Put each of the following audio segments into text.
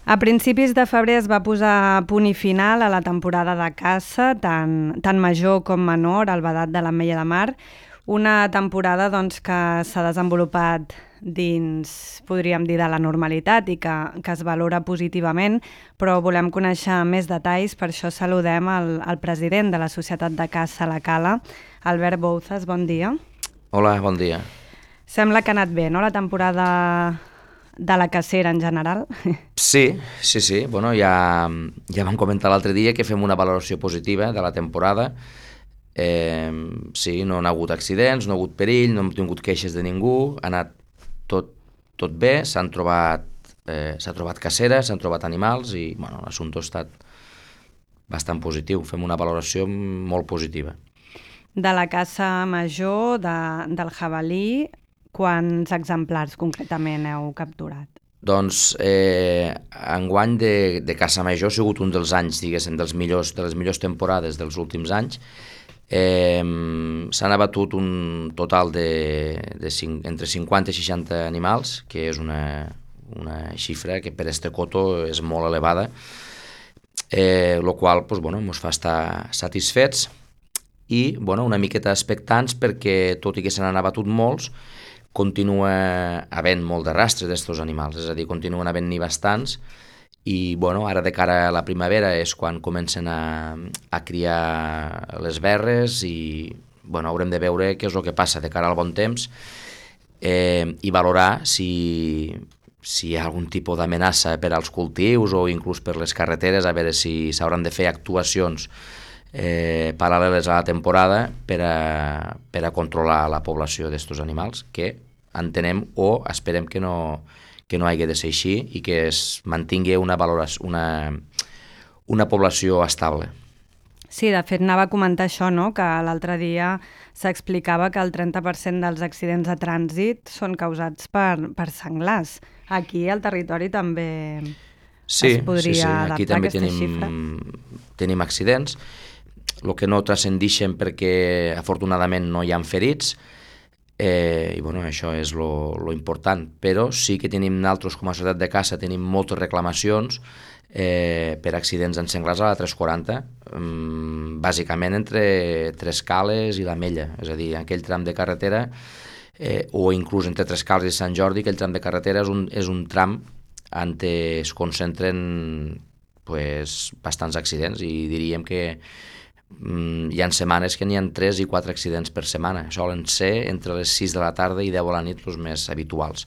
A principis de febrer es va posar punt i final a la temporada de caça, tant major com menor, al Vedat de l'Ametlla de Mar. Una temporada doncs, que s'ha desenvolupat dins, podríem dir, de la normalitat i que es valora positivament, però volem conèixer més detalls, per això saludem el president de la Societat de Caça La Cala, Albert Bouzas, bon dia. Hola, bon dia. Sembla que ha anat bé, no?, la temporada de la cacera en general. Sí. Bueno, ja vam comentar l'altre dia que fem una valoració positiva de la temporada. Sí, no ha hagut accidents, no ha hagut perill, no hem tingut queixes de ningú, ha anat tot bé, s'ha trobat cacera, s'han trobat animals i bueno, l'assumpte ha estat bastant positiu. Fem una valoració molt positiva. De la caça major, del jabalí, quants exemplars concretament heu capturat? Doncs enguany de caça major ha sigut un dels anys, diguéssim, de les millors temporades dels últims anys. S'han abatut un total entre 50 i 60 animals, que és una xifra que per este coto és molt elevada, el qual ens fa estar satisfets i una miqueta expectants perquè, tot i que se n'han abatut molts, continua havent molt de rastre d'estos animals, és a dir, continuen havent-n'hi bastants i ara de cara a la primavera és quan comencen a criar les verres i haurem de veure què és el que passa de cara al bon temps i valorar si hi ha algun tipus d'amenaça per als cultius o inclús per les carreteres, a veure si s'hauran de fer actuacions paral·leles a la temporada per a controlar la població d'estos animals, que entenem o esperem que no hagi de ser així i que es mantingui una població estable. Sí, de fet anava a comentar això, no?, que l'altre dia s'explicava que el 30% dels accidents de trànsit són causats per senglars. Aquí al territori també es podria adaptar aquesta xifra. Tenim accidents, el que no transcendixen perquè afortunadament no hi ha ferits, i això és lo important, però sí que tenim nosaltres com a societat de caça tenim moltes reclamacions per accidents en senglars a la 340, bàsicament entre Trescales i l'Ametlla, és a dir, aquell tram de carretera o inclús entre Trescales i Sant Jordi, aquell tram de carretera és un tram on es concentren bastants accidents i diríem que hi ha setmanes que n'hi ha 3 i 4 accidents per setmana. Solen ser entre les 6 de la tarda i 10 de la nit els més habituals.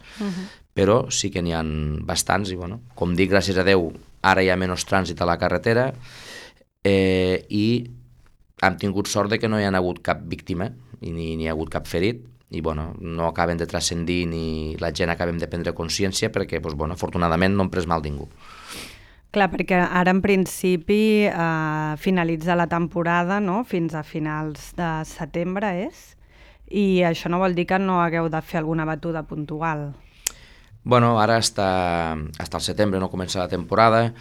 Però sí que n'hi ha bastants i, com dic, gràcies a Déu, ara hi ha menys trànsit a la carretera i hem tingut sort de que no hi ha hagut cap víctima i ni hi ha hagut cap ferit i no acaben de transcendir ni la gent acabem de prendre consciència perquè, afortunadament, no hem pres mal ningú. Clar, perquè ara en principi finalitza la temporada, no?, fins a finals de setembre és, i això no vol dir que no hagueu de fer alguna batuda puntual. Ara està el setembre, no comença la temporada,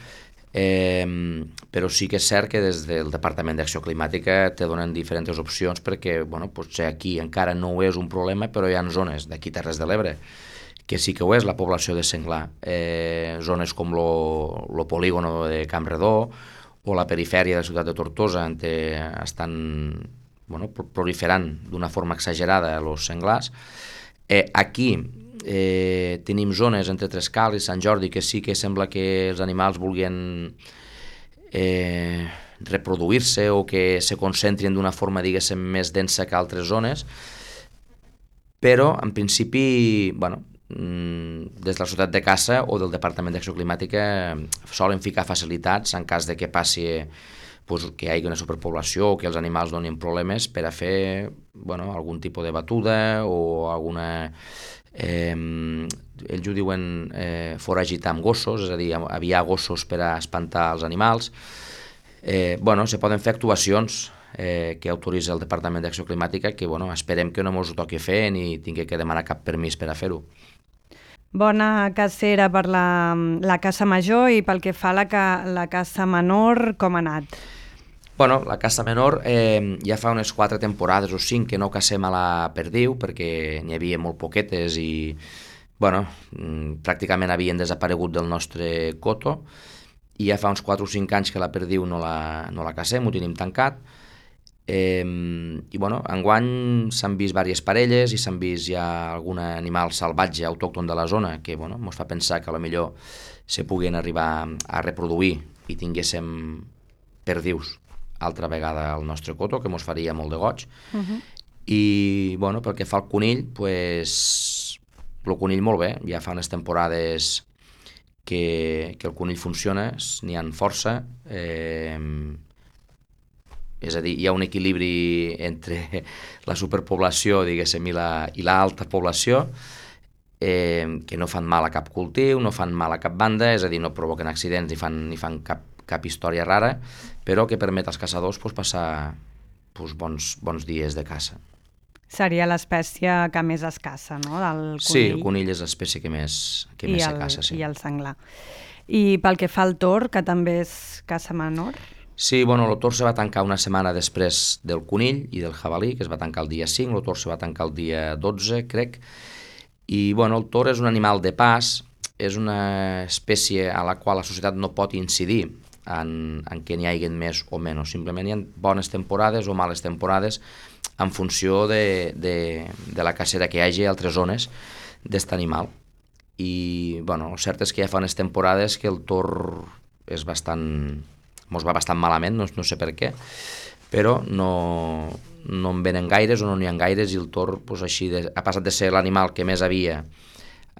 però sí que és cert que des del Departament d'Acció Climàtica te donen diferents opcions perquè potser aquí encara no és un problema, però hi ha zones d'aquí Terres de l'Ebre que sí que ho és la població de senglar, zones com lo polígono de Campredó o la perifèria de la ciutat de Tortosa on estan proliferant d'una forma exagerada els senglars. Aquí tenim zones entre Trescales i Sant Jordi que sí que sembla que els animals vulguin reproduir-se o que se concentrin d'una forma, diguéssim, més densa que altres zones, però en principi, des de la Societat de Caça o del Departament d'Acció Climàtica solen ficar facilitats en cas de que passi que hi hagi una superpoblació o que els animals donin problemes per a fer algun tipus de batuda o alguna... ells ho diuen foragitar amb gossos, és a dir, aviar gossos per a espantar els animals. Se poden fer actuacions que autoritza el Departament d'Acció Climàtica que esperem que no ens ho toqui fer ni tingui que demanar cap permís per a fer-ho. Bona cacera per la caça major i pel que fa a la caça menor, com ha anat? La caça menor ja fa unes 4 temporades o 5 que no cacem a la perdiu perquè n'hi havia molt poquetes i bueno, pràcticament havien desaparegut del nostre coto i ja fa uns 4 o 5 anys que la perdiu no la cacem, ho tenim tancat. I bueno, enguany s'han vist diverses parelles i s'han vist ja algun animal salvatge autòcton de la zona que bueno, ens fa pensar que potser se puguin arribar a reproduir i tinguéssim perdius altra vegada al nostre coto, que ens faria molt de goig. I bueno, pel que fa al conill, pues, el conill molt bé, ja fa unes temporades que el conill funciona, n'hi ha força, és a dir, hi ha un equilibri entre la superpoblació, diguéssim, i l'alta població, que no fan mal a cap cultiu, no fan mal a cap banda, és a dir, no provoquen accidents ni fan cap història rara, però que permet als caçadors passar bons dies de caça. Seria l'espècie que més es caça, no?, del conill. Sí, el conill és l'espècie que més se caça, sí. I el senglar. I pel que fa al tor, que també és caça menor? Sí, bueno, el tor se va tancar una setmana després del conill i del jabalí, que es va tancar el dia 5, el tor se va tancar el dia 12, crec, i bueno, el tor és un animal de pas, és una espècie a la qual la societat no pot incidir en que n'hi hagi més o menys, simplement hi ha bones temporades o males temporades en funció de la cacera que hi hagi a altres zones d'aquest animal. I bueno, el cert és que ja fa unes temporades que el tor és mos va bastant malament, no sé per què, però no en venen gaires o no n'hi ha gaires i el tor així ha passat de ser l'animal que més havia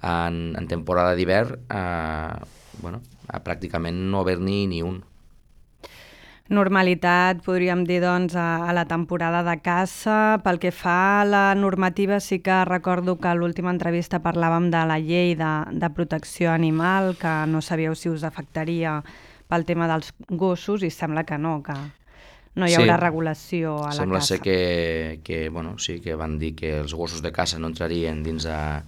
en temporada d'hivern a pràcticament no haver-n'hi ni un. Normalitat, podríem dir, doncs, a la temporada de caça. Pel que fa a la normativa, sí que recordo que a l'última entrevista parlàvem de la llei de protecció animal, que no sabíeu si us afectaria pel tema dels gossos, i sembla que no hi haurà regulació a la caça. Sembla ser que sí, que van dir que els gossos de caça no entrarien dins a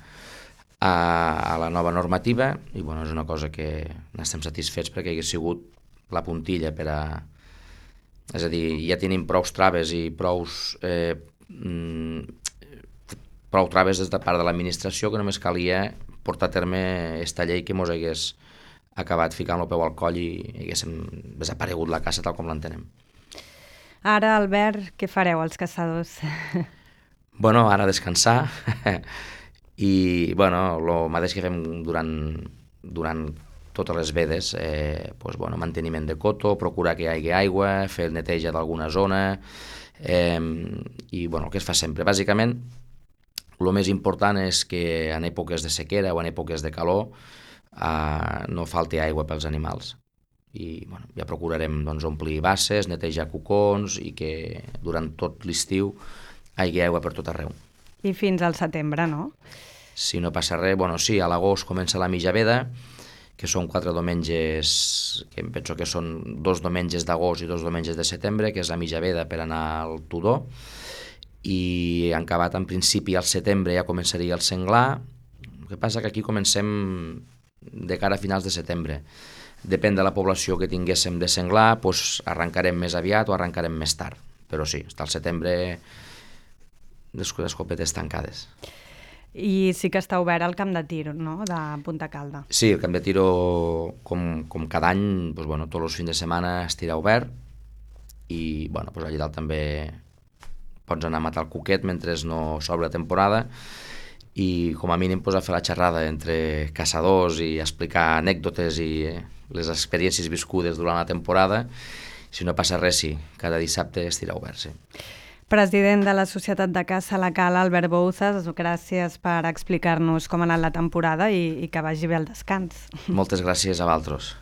la nova normativa i és una cosa que n'estem satisfets perquè hagués sigut la puntilla per a... És a dir, ja tenim prou traves i prou traves des de part de l'administració que només calia portar a terme aquesta llei que ens hagués acabat ficant el peu al coll i haguéssim desaparegut la caça tal com l'entenem. Ara, Albert, què fareu els caçadors? Bueno, ara descansar i el mateix que fem durant totes les vedes, manteniment de coto, procurar que hi hagi aigua, fer neteja d'alguna zona i el que es fa sempre. Bàsicament, el més important és que en èpoques de sequera o en èpoques de calor no falti aigua pels animals. I ja procurarem omplir basses, netejar cocons i que durant tot l'estiu hi hagi aigua per tot arreu. I fins al setembre, no? Si no passa res, sí, a l'agost comença la mitja veda, que són 4 diumenges, que em penso que són 2 diumenges d'agost i 2 diumenges de setembre, que és la mitja veda per anar al tudor, i en acabat en principi al setembre ja començaria el senglar. El que passa que aquí comencem de cara a finals de setembre. Depèn de la població que tinguéssim de senglar, arrencarem més aviat o arrencarem més tard, però sí, està al setembre d'escopetes tancades. I sí que està obert el camp de tir, no?, de Punta Calda. Sí, el camp de tir, com cada any, tots els fins de setmana estirà obert i allà dalt també pots anar a matar el cuquet mentre no s'obre la temporada i com a mínim a fer la xerrada entre caçadors i explicar anècdotes i les experiències viscudes durant la temporada. Si no passa res, sí, cada dissabte estirà obert, sí. President de la Societat de Caça La Cala, Albert Bouzas, gràcies per explicar-nos com ha anat la temporada i que vagi bé el descans. Moltes gràcies a vosaltres.